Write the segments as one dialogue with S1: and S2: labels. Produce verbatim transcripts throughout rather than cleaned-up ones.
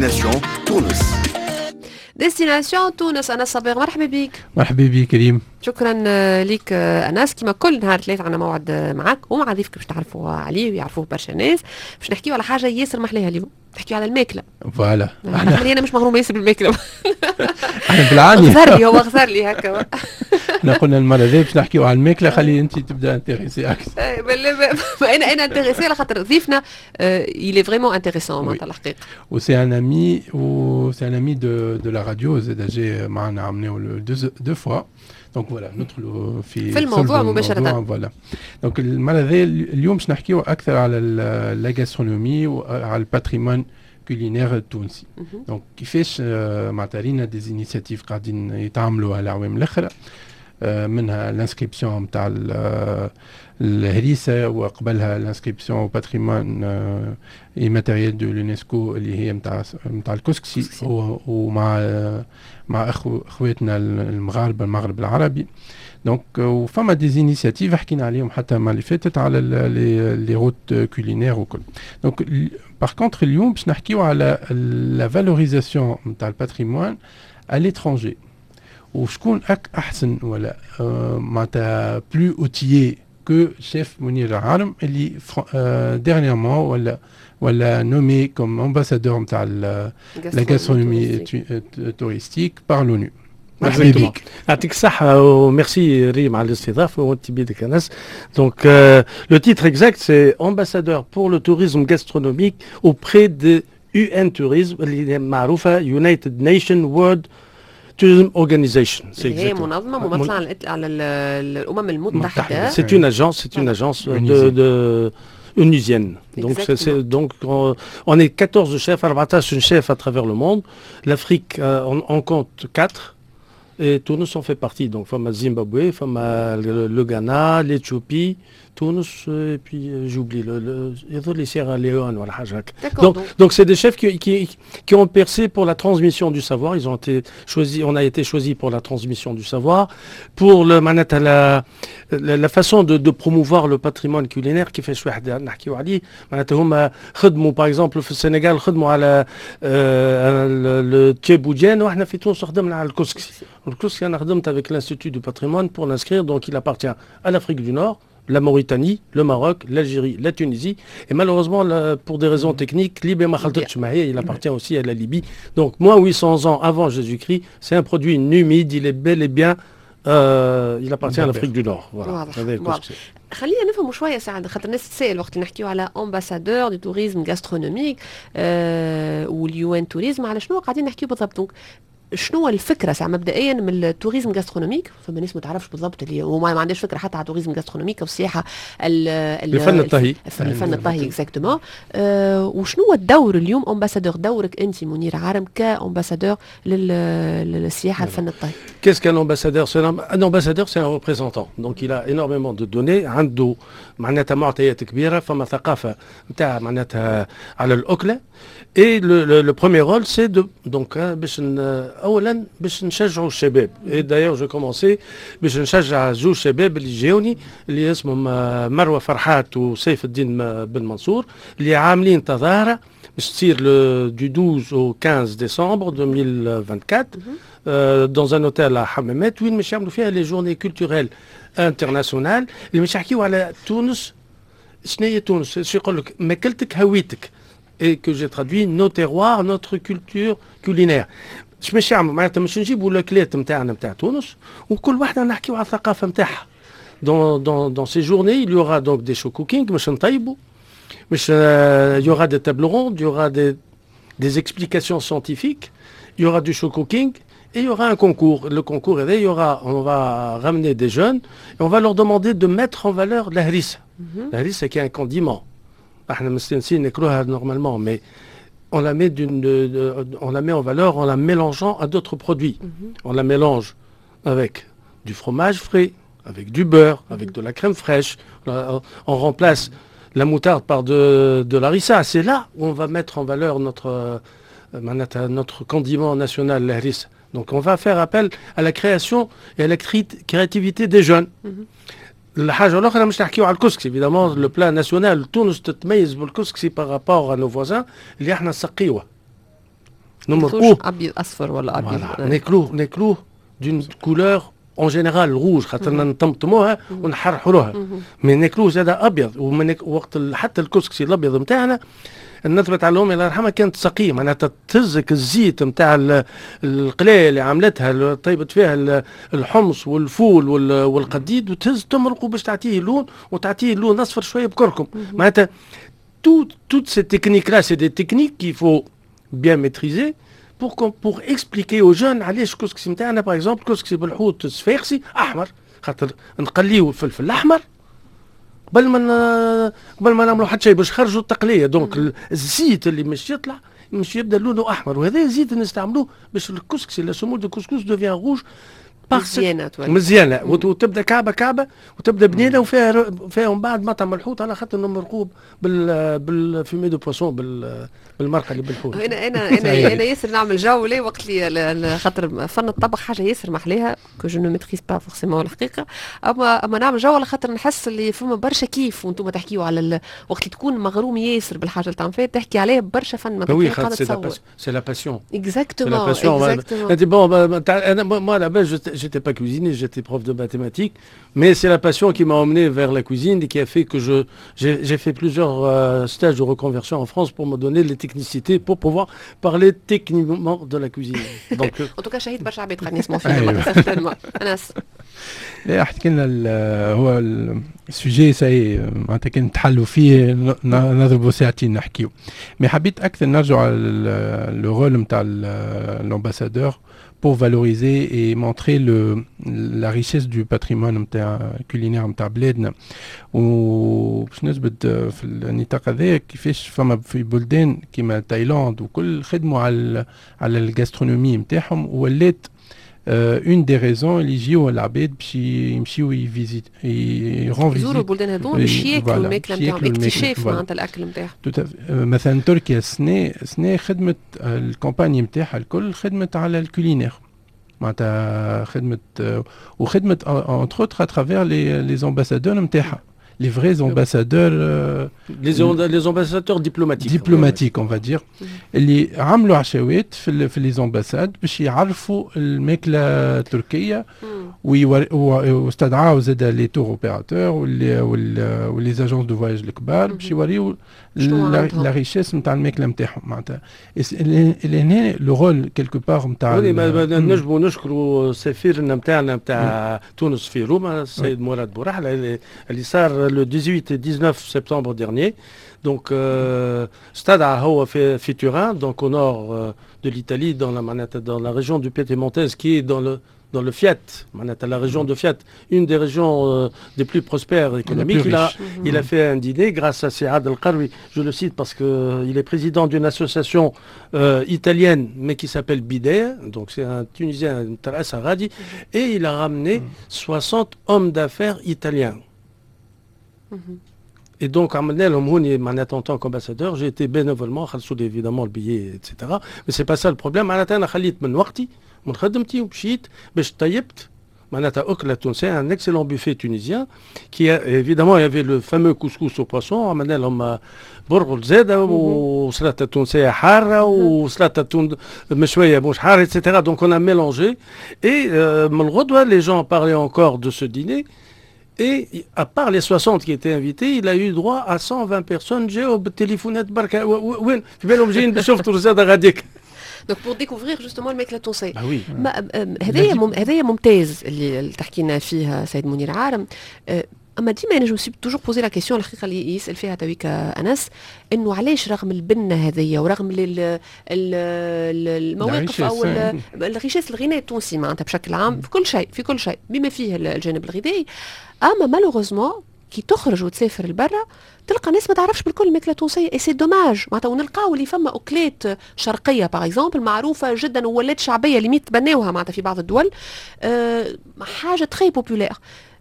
S1: Destination تونس.
S2: Destination تونس، انس صبيغ، مرحبا بك.
S3: مرحبا بك كريم.
S2: شكرا آه، لك آه، انس. كما كل نهار ثلاث عندنا موعد آه، معك ومع ضيفك باش تعرفوا عليه ويعرفوه برشا ناس، باش نحكيو على حاجة ياسر محلاها. اليوم نحكيو على الماكله.
S3: Voilà.
S2: احنا انا مش مغرومه ياسر بالماكله.
S3: احنا بالعاني.
S2: غزر لي هو، غزر لي هكا.
S3: احنا قلنا المرة ذي باش نحكيو على الماكله، خلي انت تبدا intéressée اكثر.
S2: انا انا intéressée على خاطر ضيفنا il est vraiment intéressant معناتها الحقيقه.
S3: و c'est un ami و c'est un ami de de la radio، زاد جاي معنا عملناه deux deux fois، donc voilà ندخلوا في
S2: في الموضوع مباشره.
S3: Voilà، donc المرة ذي اليوم باش نحكيو اكثر على la gastronomie وعلى ال patrimoine culinaire التونسي. Donc كيفاش معناتها رينا des initiatives قاعدين يتعملوا على الأعوام الاخرى، منها l'inscription نتاع الهريسه وقبلها l'inscription patrimoine immatériel de l'UNESCO اللي هي نتاع نتاع الكسكسي، ومع مع اخو اخواتنا المغاربه، المغرب العربي. Donc وفما des initiatives حكينا عليهم حتى ما اللي فاتت على les routes culinaires وكل. Donc par contre اليوم باش نحكيو على la valorisation نتاع ال patrimoine à l'étranger، وشكون أك احسن ولا معناتها plus outillé que chef منير العارم اللي dernièrement ولا ولا nommé comme ambassadeur نتاع la gastronomie touristique par l'ONU.
S4: مرحبا بك. يعطيك الصحة وميرسي ريم على الاستضافة وانت بيدك انس. Donc le titre exact, c'est ambassadeur pour le tourisme gastronomique auprès de U N Tourism اللي معروفة United Nations World Tourism Organization.
S2: هي منظمة ممثلة على على الأمم المتحدة.
S4: C'est une agence, c'est une agence de, de onusienne. Donc, c'est, donc on, on est quatorze chefs, quatorze chefs à travers le monde. L'Afrique euh, on, en compte quatre. Et تونس en fait partie. Donc, فما Zimbabwe, فما le, le Ghana, l'Éthiopie, تونس, et puis euh, j'oublie, le, le, les Sierra Leone, voilà. Donc, donc c'est des chefs qui, qui, qui ont percé pour la transmission du savoir. Ils ont été choisis, on a été choisis pour la transmission du savoir, pour le معناتها la, la, la façon de, de promouvoir le patrimoine culinaire كيفاش واحد نحكيو عليه. معناتها هما خدموا par exemple في السنغال خدموا على le thiéboudienne، واحنا في تونس خدمنا على الكسكسي. الكسكسي انا خدمت avec l'Institut du patrimoine pour l'inscrire، donc il appartient à l'Afrique du Nord, la Mauritanie, le Maroc, l'Algérie, la Tunisie. Et malheureusement, là, pour des raisons techniques, ليبيا ما خلطتش معايا, il appartient aussi à la Libye. Donc, moins huit cents ans avant Jésus-Christ, c'est un produit numide, il est bel et bien, euh, il appartient à l'Afrique du Nord. Voilà.
S2: واضح. خلينا نفهموا شوية ساعه، خاطر الناس تسال وقت نحكيو على ambassadeur du tourisme gastronomique وال UN Tourisme، على شنو قاعدين نحكيو بالضبط؟ Donc شنو الفكرة ساعة مبدئيا من ال tourisme gastronomique؟ فما ناس ما تعرفش بالضبط اللي وما ما عندهاش فكرة حتى على ال tourisme gastronomique او السياحة
S4: الفن الطهي.
S2: الفن الطهي exactement. أه وشنو هو الدور اليوم ambassadeur، دورك انت منير عارم ك ambassadeur للسياحة الفن الطهي؟
S4: Qu'est-ce qu'un ambassadeur؟ Un ambassadeur, c'est un représentant. Donc il a énormément de données. عنده معناتها معطيات كبيرة، فما ثقافة نتاع معناتها على الأكلة. Et le, le, le premier rôle, c'est de donc باش اولا باش نشجعوا الشباب. Et d'ailleurs je commençais باش نشجع زوج شباب اللي جاوني اللي اسمهم مروه فرحات وسيف الدين بن منصور، اللي عاملين تظاهرة باش تصير du douze au quinze décembre deux mille vingt-quatre dans un hôtel à حمامات، وين باش يعملوا فيها les journées culturelles internationales اللي باش يحكيو على تونس. شنو هي تونس؟ شو يقول لك؟ ماكلتك هويتك، et que j'ai traduit nos terroirs, notre culture culinaire. اش باش يعملوا؟ معناتها باش نجيبوا الاكلات نتاعنا نتاع تونس وكل واحدة نحكيو على الثقافة نتاعها. Dans, dans, dans ces journées, il y aura donc des show cooking, باش نطيبوا، باش il y aura des tables rondes, il y aura des, des explications scientifiques, il y aura du show cooking et il y aura un concours. Le concours, il y aura, on va ramener des jeunes et on va leur demander de mettre en valeur la harissa. Mm -hmm. La harissa qui est un condiment. احنا مستانسين ناكلوها normalement, mais on la met d'une on la met en valeur en la mélangeant à d'autres produits. Mm -hmm. On la mélange avec du fromage frais, avec du beurre, mm -hmm. avec de la crème fraîche. On remplace la moutarde par de, de l'harissa. C'est là où on va mettre en valeur notre, euh, notre condiment national, la harissa. Donc on va faire appel à la création et à la créativité des jeunes. Mm -hmm. الحاجة الاخرى مش نحكيو على الكسكسي، évidemment le plat national. تونس تتميز بالكسكسي par rapport à nos voisins اللي احنا نسقيوه. نمرقوه
S2: ابيض اصفر ولا ابيض.
S4: ناكلوه ناكلوه d'une couleur en général rouge، خاطر نطمطموها ونحرحروها، mais ناكلوه زاد ابيض. ومن وقت حتى الكسكسي الابيض نتاعنا، النثبت على امي الله يرحمها كانت سقيه، معناتها تهزك الزيت نتاع القلايه اللي عملتها، طيبت فيها الحمص والفول والقديد، وتهز تمرقه باش تعطيه لون، وتعطيه لون اصفر شوية بكركم. معناتها toutes ces techniques-là، c'est des techniques qu'il faut bien maîtriser pour, pour expliquer aux jeunes علاش الكسكسي نتاعنا، par exemple كسكسي بالحوت الصفاقسي احمر، خاطر نقليو الفلفل الاحمر قبل ما قبل ما نعملوا حتى شيء باش خرجوا التقليه، donc الزيت اللي مش يطلع مش يبدا لونه احمر، وهذا الزيت نستعملوه باش الكسكسي، la semoule de couscous devient rouge.
S2: مزيانه.
S4: مزيانه وتبدا كعبه كعبه وتبدا بنينه وفيها فيها من بعد مطعم الحوت، على خاطر نمرقوه بال بال fumet de poisson، بالمرقه اللي بالحوت.
S2: انا انا انا انا ياسر نعمل جو ليه وقت اللي، خاطر فن الطبخ حاجة ياسر محليها que je ne maîtrise pas forcément الحقيقه، اما اما نعمل جو على خاطر نحس اللي فما برشا كيف وانتم تحكيوا على ال... وقت اللي تكون مغروم ياسر بالحاجة اللي تعمل فيها تحكي عليها برشا فن.
S4: ما oui، c'est la passion.
S2: exactement.
S4: exactement. bon، انا moi à la base j'étais pas cuisinier، j'étais prof de mathématiques، mais c'est la passion qui m'a emmené vers la cuisine et qui a fait que je j'ai fait plusieurs euh, stages de reconversion en France pour me donner les technicités pour pouvoir parler techniquement de la cuisine.
S2: Donc en tout cas شهيد برشا عباد قاعدين يسمعوا فينا certainement. انس.
S3: لا، حكي لنا هو ال sujet ça y est، معناتها كان تحلوا فيه نضربوا ساعتين نحكيو، mais حبيت اكثر نرجع على le rôle نتاع l'ambassadeur pour valoriser et montrer le, la richesse du patrimoine نتاع culinaire نتاع بلادنا. وباش نثبت في النطاق هذا كيفاش فما في بلدان كيما تايلاند وكل خدموا على على ال gastronomie نتاعهم، ولات une des raisons اللي يجيو العباد باش يمشيو ي visite
S2: يرون يزوروا البلدان هذوما باش ياكلوا الماكلة نتاعهم، اكتشاف معناتها الاكل نتاعهم.
S3: مثلا تركيا السنة سنة خدمت ال campagne نتاعها الكل، خدمت على ال culinaire، معناتها خدمت وخدمت entre autres à travers les les ambassadeurs نتاعها، les vrais ambassadeurs.
S4: Euh, les, les ambassadeurs diplomatiques.
S3: Diplomatiques، on va dire. اللي عملوا عشاوات في في les ambassades باش يعرفوا الماكلة التركيه، واستدعاو زاد les tour opérateurs و les agences de voyage الكبار باش يوريو la richesse نتاع الماكلة نتاعهم. معناتها اللي هنا le rôle quelque part نتاع
S4: نجموا نشكروا سفيرنا نتاعنا نتاع تونس في روما، السيد مراد بورحله، اللي صار le dix-huit et dix-neuf septembre dernier. Donc, euh, استدعى هو في في Turin، donc au nord euh, de l'Italie، dans la dans la région du Piémontaise qui est dans le dans le Fiat، la région de Fiat، une des régions euh, des plus prospères économiques. Il a, il a fait un dîner grâce à سي Adel Karoui، je le cite parce qu'il est président d'une association euh, italienne، mais qui s'appelle Bidea، donc c'est un Tunisien، غادي، et il a ramené soixante hommes d'affaires italiens. Et donc, en tant qu'ambassadeur، j'ai été bénévolement، évidemment le billet، et cetera. Mais c'est pas ça le problème. معناتها أنا خليت من وقتي من خدمتي ومشيت باش طيبت معناتها أكلة تونسية، un excellent buffet tunisien qui a, évidemment il y avait le fameux couscous au poisson، عملنا لهم برغل زادة وسلطة تونسية حارة وسلطة مشوية مش حارة، et cetera. Donc on a mélangé et euh, من الغدوة les gens parlaient encore de ce dîner. Et à part les soixante qui étaient invités، il a eu droit à cent vingt personnes جاوا بالتليفونات بركة، وين في بالهم جايين باش يفطروا زاد غاديك.
S2: donc pour découvrir justement الماكلة التونسيه.
S4: bah oui.
S2: هذايا هذايا ممتاز اللي تحكي لنا فيه سيد منير عارم، اما ديما انا je me suis toujours posé la question، الحقيقة اللي يسال فيها تويك انس، انه علاش رغم البنه هذيا ورغم المواقف او ال richesse، الغناء التونسي معناتها بشكل عام في كل شيء، في كل شيء بما فيه الجانب الغذائي، اما malheureusement كي تخرج وتسافر لبرا تلقى ناس ما تعرفش بالكل الماكلة التونسيه، et c'est dommage. معناتها ونلقاو اللي فما اكلات شرقية par exemple معروفة جدا وولات شعبيه، limite تبناوها معناتها في بعض الدول، أه حاجة très populaire.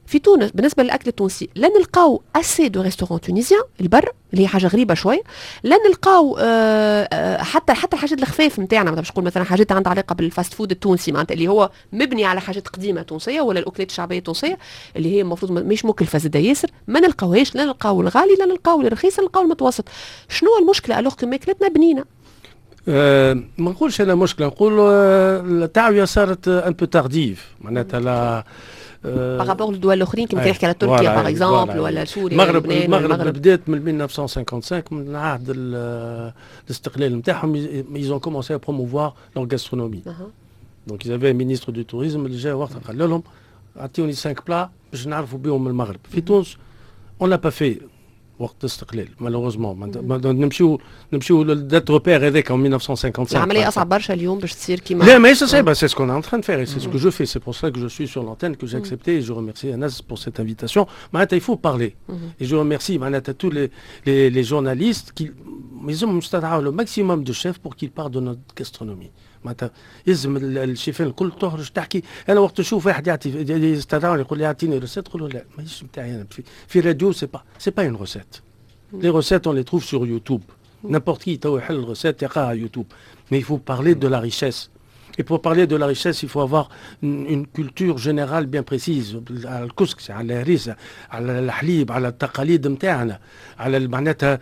S2: في تونس بالنسبة للاكل التونسي لا نلقاو assez de restaurants tunisiens البر، اللي هي حاجة غريبة شوي، لا نلقاو آه، آه، حتى حتى الحاجات الخفاف نتاعنا، باش نقول مثلا حاجات عندها علاقة بال fast food التونسي، معناتها اللي هو مبني على حاجات قديمة تونسية ولا الاكلات الشعبية التونسية اللي هي المفروض مش مكلفة زاده ياسر، ما نلقاوهاش. لا نلقاو الغالي، لا نلقاو الرخيص، نلقاو المتوسط. شنو المشكلة alors que ماكلتنا بنينه؟
S4: أه ما نقولش انا مشكله، نقول التعويه صارت un peu tardive معناتها لا
S2: par rapport للدول الاخرين كما تحكي على تركيا par exemple ولا سوريا.
S4: المغرب المغرب بدات من ألف وتسعمية وخمسة وخمسين، من عهد الاستقلال نتاعهم ils ont commencé à promouvoir leur gastronomie. donc ils avaient un ministre du tourisme اللي جا وقتها قال لهم اعطيوني cinq plats باش نعرفوا بهم المغرب. في تونس on l'a pas fait وقت الاستقلال malheureusement. نمشيو نمشيو لل date repère هذاك ألف وتسعمية وخمسة وخمسين.
S2: العملية اصعب برشا اليوم باش تصير كيما
S4: لا، ماهيش صعيبه، c'est ce qu'on est en train de faire, c'est ce que je fais, c'est pour ça que je suis sur l'antenne, que j'ai accepté, et je remercie Anas pour cette invitation. معناتها il faut parler et je remercie معناتها tous les les, les journalistes qui لازم نستدعوا le maximum de chefs pour qu'ils parlent de notre gastronomie. معناتها يلزم الشيفان الكل تخرج تحكي. انا وقت نشوف واحد يعطي، يستدعوني، يقول لي اعطيني recette، نقول له لا، ماهيش نتاعي انا. في, في radio c'est pas c'est pas une recette. les recettes on les trouve sur YouTube، n'importe qui تو يحل ال recette يلقاها على YouTube، mais il faut parler de la richesse. Et pour parler de la richesse, il faut avoir une, une culture générale bien précise على الكسكسي، على الهريسه، على الحليب، على التقاليد نتاعنا، على معناتها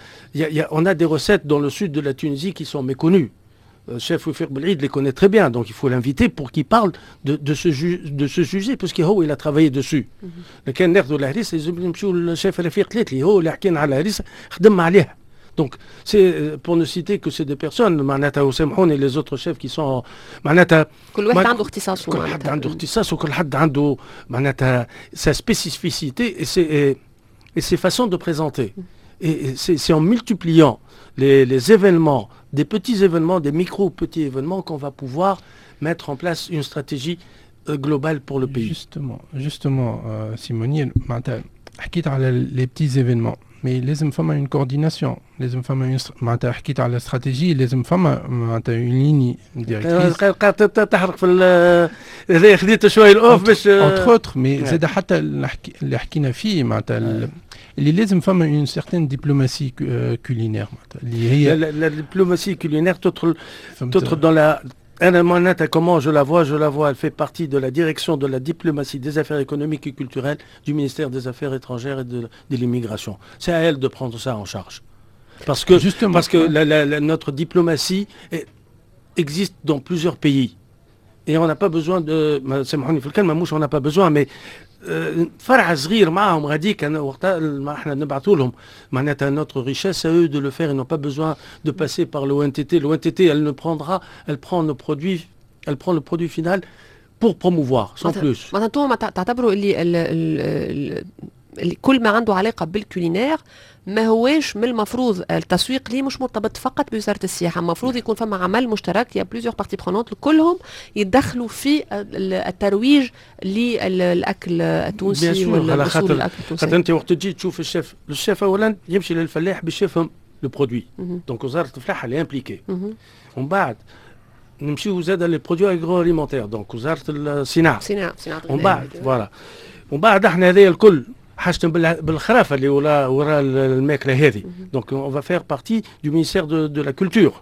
S4: on a des recettes dans le sud de la Tunisie qui sont méconnues. Chef Wifir Belid les connaît très bien, donc il faut l'inviter pour qu'il parle de, de, ce, de ce sujet, parce qu'il il a travaillé dessus. لكان ناخذوا الهريسه لازم نمشيو للشيف رفيق تليتلي، هو اللي حكينا على الهريسه، خدم عليها. Donc, c'est pour ne citer que ces deux personnes, معناتها وسامحوني les autres chefs qui sont معناتها
S2: كل واحد عنده اختصاصه.
S4: كل حد عنده اختصاص وكل حد عنده معناتها sa spécificité et ses, et ses façons de présenter. Et c'est en multipliant les, les événements, des petits événements, des micro-petits événements qu'on va pouvoir mettre en place une stratégie euh, globale pour le pays.
S3: Justement, justement, euh, سي منير، معناتها حكيت على les petits événements، mais لازم فما une coordination، لازم فما معناتها حكيت على استراتيجيه، لازم فما معناتها une ligne
S4: directrice. تحرق في هذا، خديت شوية ال off باش
S3: entre autres، mais زاد حتى اللي حكينا فيه معناتها اللي لازم فما une certaine diplomatie culinaire معناتها
S4: اللي هي la diplomatie culinaire تدخل تدخل dans la أنا معناتها comment je la vois؟ Je la vois, elle fait partie de la direction de la diplomatie des affaires économiques et culturelles du ministère des Affaires étrangères et de, de l'immigration. C'est à elle de prendre ça en charge. Parce que, Justement, parce que la, la, la, notre diplomatie est, existe dans plusieurs pays. Et on n'a pas besoin de... سامحوني في الكلمة، مش on n'a pas besoin، mais فرع صغير معهم غاديك وقتها احنا نبعثوا لهم معناتها notre richesse، à eux de le faire، ils n'ont pas besoin de passer par l'O N T T. l'O N T T elle ne prendra elle prend nos produits، elle prend le produit final pour promouvoir، sans plus.
S2: معناتها انتم تعتبروا اللي ال ال ال كل ما عنده علاقة بال culinaire ما هواش من المفروض التسويق ليه مش مرتبط فقط بوزارة السياحه، المفروض يكون فما عمل مشترك، il y a plusieurs parties prenantes كلهم يتدخلوا في الترويج للاكل التونسي.
S4: على خاطر الاكل التونسي، خاطر انت وقت تجي تشوف ال chef، ال chef اولا يمشي للفلاح باش يفهم le produit، donc وزارة الفلاحة elle est impliquée. ومن بعد نمشيو زاد les produits agroalimentaires، donc وزارة الصناعه.
S2: صناعه، صناعه.
S4: ومن بعد voilà، ومن بعد احنا هذايا الكل حاجتنا بالخرافه اللي وراء وراء الماكلة هذه، donc on va faire partie du ministère de, de la culture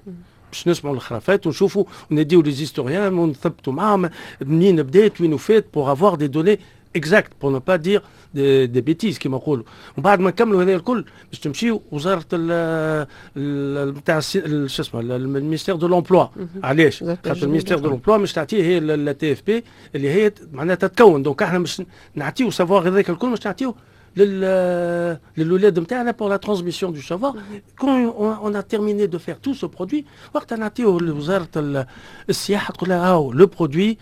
S4: باش نسمعوا الخرافات ونشوفوا ونديو les historiens ونثبتوا معاهم منين بدات، وين وفات، pour avoir des données exactes، pour ne pas dire des, des bêtises كيما نقولوا. ومن بعد ما نكملوا هذا الكل باش تمشيو وزارة نتاع شو اسمه ال ministère de l'emploi. علاش؟ خاطر ال ministère de l'emploi مش تعطيه هي la T F P اللي هي معناتها تكون، donc احنا مش نعطيو savoir هذاك الكل، مش نعطيو لل للولاد نتاعنا pour la transmission du savoir. quand on a terminé de faire tout ce produit، وقتها نعطيوه لوزارة السياحه، تقول لها هاو le produit،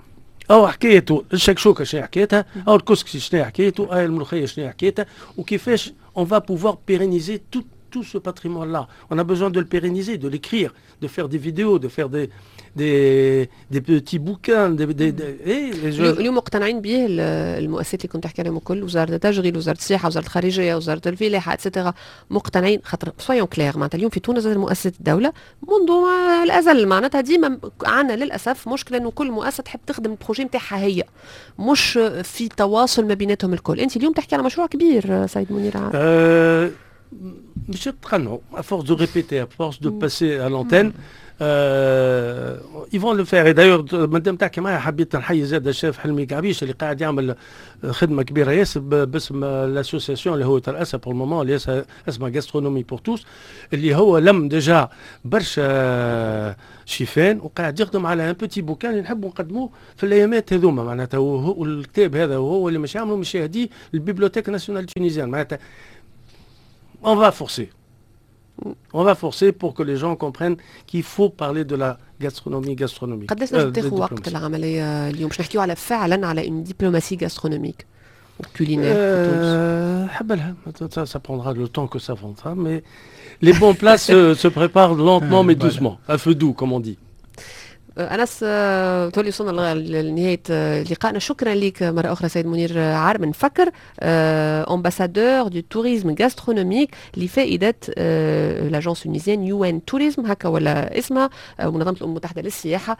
S4: او حكايته الشكشوكه شنو حكايتها، او الكسكسي شنو حكايته، او الملوخية شنو حكايتها، وكيفاش on va pouvoir pérenniser tout tout ce patrimoine-là. On a besoin de le pérenniser, de l'écrire, de faire des vidéos, de faire des, des, des petits bouquins. Des, des, des,
S2: et اليوم مقتنعين به المؤسسات اللي كنت تحكي عليهم الكل، وزارة التشغيل، وزارة السياحه، وزارة الخارجيه، وزارة الفلاحه، et cetera، مقتنعين؟ خاطر soyons clairs، معناتها اليوم في تونس مؤسسة الدولة منذ الازل معناتها ديما عندنا للاسف مشكلة انه كل مؤسسة تحب تخدم ال projet نتاعها هي، مش في تواصل ما بيناتهم الكل. انت اليوم تحكي على مشروع كبير سيد منير.
S4: أه مش تقنعوا، à force de répéter، à force de passer à l'antenne. ils vont le faire. d'ailleurs مادام تحكي معايا، حبيت نحيي زاد الشيف حلمي قعبيش اللي قاعد يعمل خدمة كبيرة ياسر باسم l'association اللي هو ترأسها pour le moment، اللي اسمها gastronomie pour tous، اللي هو لم déjà برشا شيفان وقاعد يخدم على un petit bouquin اللي نحبوا نقدموه في الايامات هذوما. معناتها والكتاب هذا وهو اللي مش يعملوا مش يهديه لل bibliothèque nationale tunisienne. معناتها on va forcer. On va forcer pour que les gens comprennent qu'il faut parler de la gastronomie gastronomique.
S2: قداش لازم تاخذ وقت العملية اليوم باش نحكيو على فعلا على une diplomatie gastronomique و culinaire في تونس؟
S4: حبلها، ça prendra le temps que ça prendra، mais les bons plats se, se préparent lentement mais doucement، à feu doux comme on dit.
S2: انس، تولي وصلنا لنهاية لقائنا. شكرا لك مرة اخرى سيد منير عارم نفكر، ambassadeur du tourisme gastronomique لفائدة l'agence tunisienne UN Tourisme، هكا ولا اسمها، منظمة الامم المتحدة للسياحه.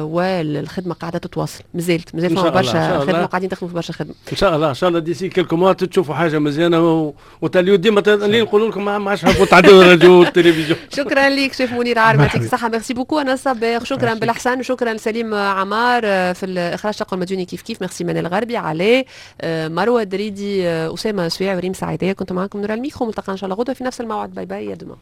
S2: والخدمة قاعدة تتواصل، مازالت مازال فما برشا خدمه، قاعدين تخدموا في برشا خدمه.
S4: ان شاء الله، ان شاء الله d'ici quelques mois تشوفوا حاجة مزيانه، وتاليو ديما اللي نقولوا لكم ما عادش نحبوا تعدوا الراديو والتلفزيون.
S2: شكرا لك شيف منير عارم، يعطيك الصحه، merci beaucoup انس صباغ، شكرا بالحسن، وشكرا سليم عمار في الاخراج الشق المديوني كيف كيف، ميرسي منال الغربي، علاء، مروه دريدي، اسامة سويع وريم سعيديه. كنت معكم نور الميكرو، ملتقى ان شاء الله غدوه في نفس الموعد. bye bye، à demain.